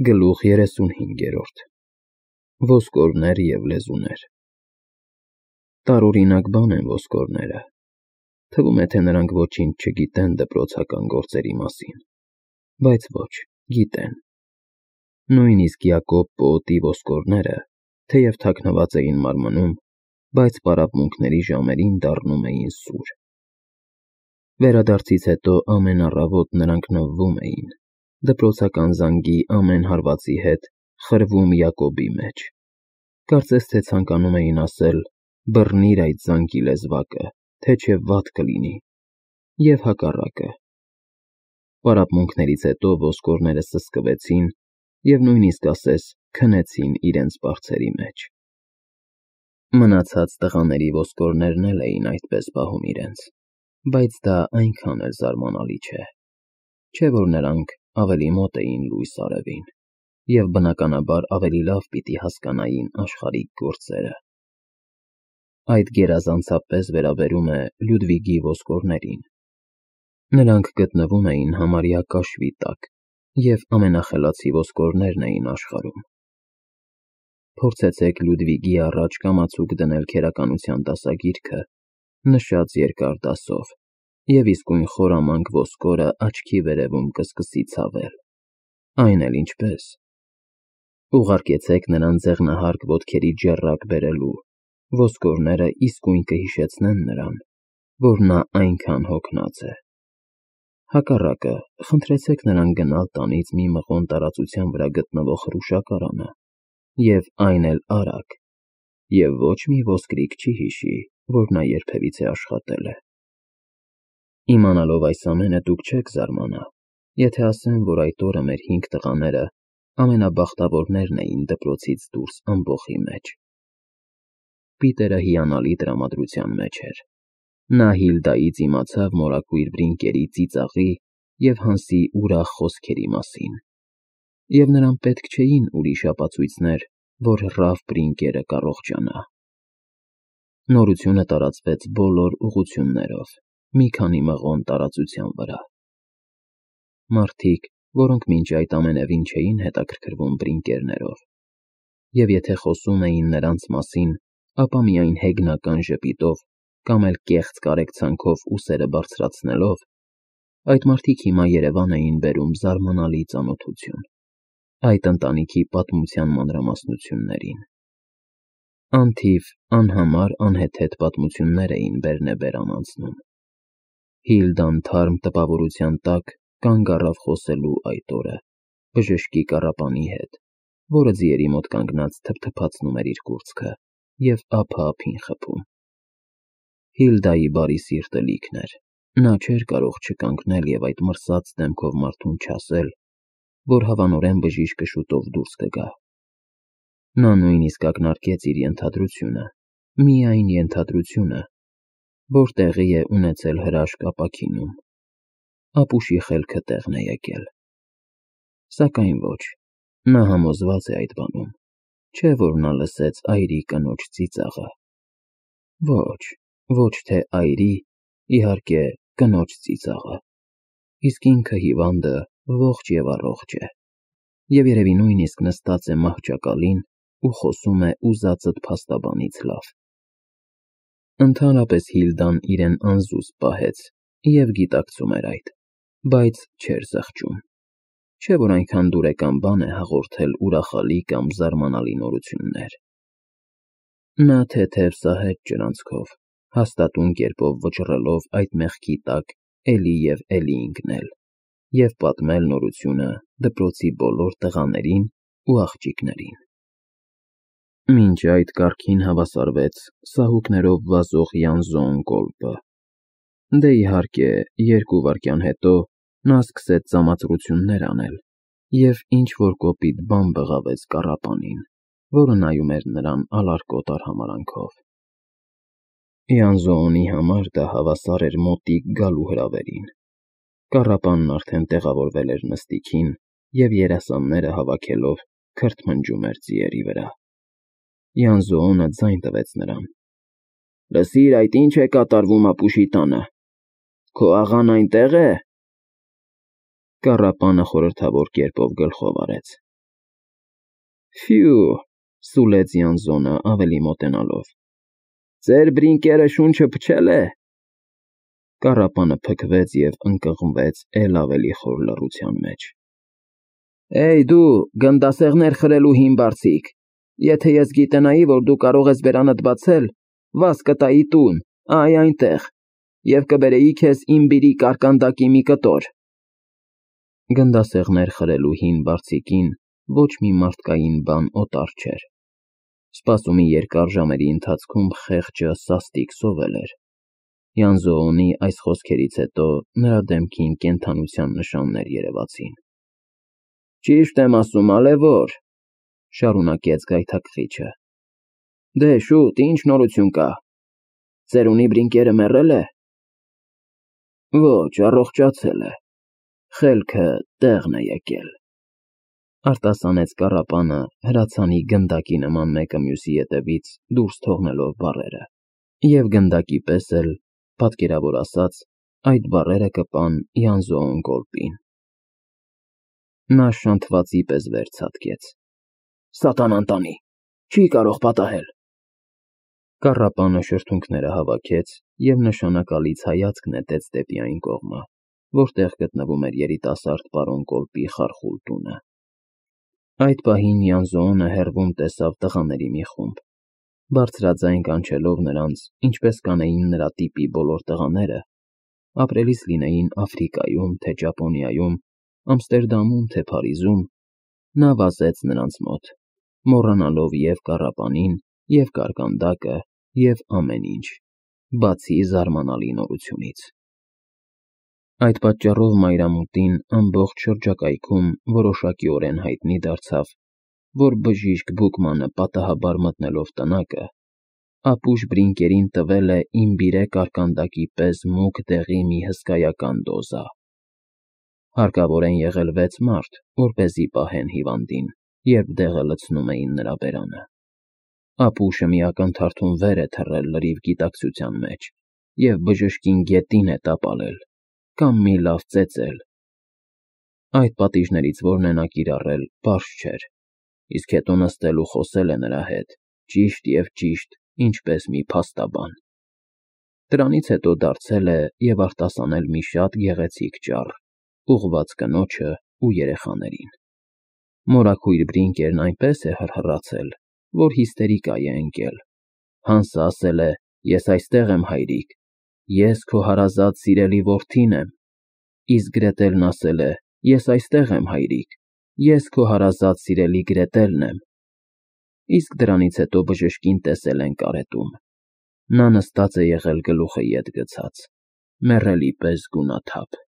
Գլուխ 35 Ոսկորներ և լեզուներ Տարօրինակ բան են ոսկորները, թվում է, թե նրանք ոչինչ չգիտեն դպրոցական գործերի մասին, բայց ոչ, գիտեն: Նույնիսկ Յակոբ պոետի ոսկորները, թեև թաքնված էին մարմնում, բայց պարապմունքների ժամերին դառնում էին սուր: Վերադարձից հետո ամեն առավոտ նրանք նվվում էին, դպրոցական զանգի ամեն հարվածի հետ խրվում Յակոբի մեջ, կարծես թե ցանկանում էին ասել. «Բռնիր այդ զանգի լեզվակը, թե չէ վատ կլինի», և հակառակը: Պարապմունքներից հետո ոսկորները սսկվեցին և նույնիսկ ասես քնեցին իրենց պարծերի մեջ: Մնացած տղաների ոսկորներն էլ էին այդպես պահում իրենց, բայց դա այնքան էլ զարմանալի չէ, որ նրանք ավելի մոտ էին լույս արևին և բնականաբար ավելի լավ պիտի հասկանային աշխարհիկ գործերը: Այդ գերազանցապես վերաբերում է Լյուդվիգի ոսկորներին: Նրանք գտնվում էին համարյա կաշվի տակ և ամենախելացի ոսկորներն էին աշխարհում: Փորձեցեք Լյուդվիգի առաջ կամացուկ դնել քերականության դասագիրքը, նշած երկար դասով, և իսկույն խորամանկ ոսկորը աչքի վերևում կսկսի ցավել: Այն էլ ինչպես: Ուղարկեցեք նրան ձեղնահարկ ոտքերի ջեռակ բերելու, ոսկորները իսկույն կհիշեցնեն նրան, որ նա այնքան հոգնած է: Հակառակը, խնդրեցեք նրան գնալ տանից մի մղոն տարածության վրա գտնվող հրուշակարանը, և այն էլ արագ, և ոչ մի ոսկրիկ չի հիշի, որ նա երբևիցե աշխատել է: Իմանալով այս ամենը դուք չեք զարմանա, եթե ասեմ, որ այդ օրը մեր 5 տղաները ամենաբախտավորներն էին դպրոցից դուրս ամբոխի մեջ: Պիտերը հիանալի տրամադրության մեջ էր: Նա Հիլդայից իմացավ մորակույր Բրինկերի ծիծաղի և Հանսի ուրախ խոսքերի մասին, և նրան պետք չէին ուրիշ ապացույցներ, որ Ռալֆ Բրինկերը կառողջանա: Նորությունը տարածվեց բոլոր ուղղություններով, մի քանի մղոն տարածության վրա: Մարդիկ, որոնք մինչ այդ ամենևին չէին հետաքրքրվում Բրինկերներով, և եթե խոսում էին նրանց մասին, ապա միայն հեգնական ժպիտով կամ էլ կեղծ կարեկցանքով ուսերը բարձրացնելով, այդ մարդիկ հիմա Երևան էին բերում զարմանալի ծանոթություն այդ ընտանիքի պատմության մանրամասնություններին: Անթիվ, անհամար անհեթեթ պատմություններ էին բերնեբերան անցնում: Հիլդան թարմ տպավորության տակ կանգ առավ խոսելու այդ օրը բժշկի կառապանի հետ, որը ձիերի մոտ կանգնած թփթփացնում էր իր կուրծքը և ափը ափին խփում: Հիլդայի բարի սիրտը լիքն էր, նա չէր կարող չկանգնել և այդ մրսած դեմքով մարդուն չասել, որ հավանորեն բժիշկը շուտով դուրս կգա: Նա նույնիսկ ակնարկեց իր ենթադրությունը, միայն ենթադրությունը, որ տեղի է ունեցել հրաշք ապաքինում: Ապուշի խելքը տեղն է եկել: Սակայն ոչ, նա համոզված է այդ բանում, չէ որ նա լսեց այրի կնոջ ծիծաղը: Ոչ թե այրի, իհարկե կնոջ ծիծաղը: Իսկ ինքը հիվանդը ողջ և առողջ է, և երևի նույնիսկ նստած է մահճակալին ու խոսում է ուզածդ փաստաբանից լավ: Ընդհանրապես Հիլդան իրեն անզուսպ պահեց և գիտակցում էր այդ, բայց չէր զղջում: Չէ որ այնքան դուրեկան բան է հաղորդել ուրախալի կամ զարմանալի նորություններ: Նա թեթև սահեց ջրանցքով, հաստատուն կերպով վճռելով այդ մեղքի տակ էլի և էլի ընկնել և պատմել նորությունը դպրոցի բոլոր տղաներին ու աղջիկներին: Մինչ այդ կարգին հավասարվեց սահուկներով վազող Յանզոն կոլպը: Դե իհարկե, 2 վայրկյան հետո նա սկսեց ծամացրություններ անել և ինչ-որ կոպիտ բան բղավեց կառապանին, որը նայում էր նրան ալարկոտ արհամարհանքով: Յանզոոնի համար դա հավասար էր մոտիկ գալու հրավերին: Կառապանն արդեն տեղավորվել էր նստիքին և երասանները հավաքելով քրթմնջում էր ձիերի վրա: Յանզոոնը ձայն տվեց նրան: Լսիր, այդ ի՞նչ է կատարվում ապուշի տանը: Քո աղան այնտե՞ղ է: Կառապանը խորհրդավոր կերպով գլխով արեց: Ֆյու, սուլեց Յանզոնը ավելի մոտենալով։ Ձեր բրինկերը շունչը փչել է։ Կառապանը փքվեց և ընկղմվեց էլ ավելի խոր լռության մեջ։ Էй դու, գնդասեղներ խրելու հին բարձիկ, եթե ես գիտենայի, որ դու կարող ես բերանդ բացել, վազ կտայի տուն, այ այնտեղ, և կբերեի քեզ իմ բիրի կարկանդակի մի կտոր։ Գնդասեղներ խրելու հին բարձիկին ոչ մի մարդկային բան օտար չէր։ Սպասումի երկար ժամերի ընթացքում խեղճը սաստիկ սովել էր։ Յանզոոնի այս խոսքերից հետո նրա դեմքին կենդանության նշաններ երևացին։ Ճիշտ եմ ասում, ալեվոր, շարունակեց գայթակղիչը։ Դե շուտ, ինչ նորություն կա։ Ծերունի բրինկերը մեռել է։ Ոչ, առողջացել է։ Խելքը տեղն է եկել։ Արտասանեց կառապանը հրացանի գնդակի նման մեկը մյուսի ետևից դուրս թողնելով բառերը։ Եվ գնդակի պես էլ, պատկերավոր ասած, այդ բառերը կպան Յանզոոն կոլպին։ Նա շանթվածի պես վեր ցատկեց։ Սատանան տանի, չի կարող պատահել։ Կառապանը շրթունքները հավաքեց և նշանակալից հայացք նետեց դեպի այն կողմը, որտեղ գտնվում էր երիտասարդ պարոն կոլպի խարխուլ տունը։ Այդ պահին Յանզոոնը հեռվում տեսավ տղաների մի խումբ, բարձրաձայն կանչելով նրանց, ինչպես կանեին նրա տիպի բոլոր տղաները, ապրելիս լինեին Աֆրիկայում, թե Ճապոնիայում, Ամստերդամում, թե Փարիզում, նա վազեց նրանց մոտ, մոռանալով և կառապանին, և կարկանդակը, և ամեն ինչ, բացի զարմանալի նորությունից։ Այդ պատճառով մայրամուտին ամբողջ շրջակայքում որոշակիորեն հայտնի դարձավ, որ բժիշկ Բուկմանը պատահաբար մտնելով տնակը, ապուշ բրինկերին տվել է իմբիրե կարկանդակի պես մուգ դեղի մի հսկայական դոզա։ Հարկավոր են եղել 6 մարդ, որպեսզի պահեն հիվանդին, երբ դեղը լցնում էին նրա բերանը։ Ապուշը մի ակնթարթում վեր է թռել լրիվ գիտակցության մեջ և բժշկին գետին է տապալել, կամ մի լավ ծեծել։ Այդ պատիժներից որն է նա կիրառել, պարզ չէր, իսկ հետո նստել ու խոսել է նրա հետ, ճիշտ և ճիշտ, ինչպես մի փաստաբան։ Դրանից հետո դարձել է և արտասանել մի շատ գեղեցիկ ճառ, ուղղված կնոջը ու երեխաներին։ Մորաքույր բրինկերն այնպես է հռհռացել, որ հիստերիկա է ընկել։ Հանսը ասել է. «Ես այստեղ եմ, հայրիկ, ես քո հարազատ սիրելի որդին եմ»։ Իսկ Գրետելն ասել է. «Ես այստեղ եմ, հայրիկ, ես քո հարազատ սիրելի Գրետելն եմ»։ Իսկ դրանից հետո բժշկին տեսել են կարետում։ Նա նստած է եղել գլուխը ետ գցած, մեռելի պես գունաթափ։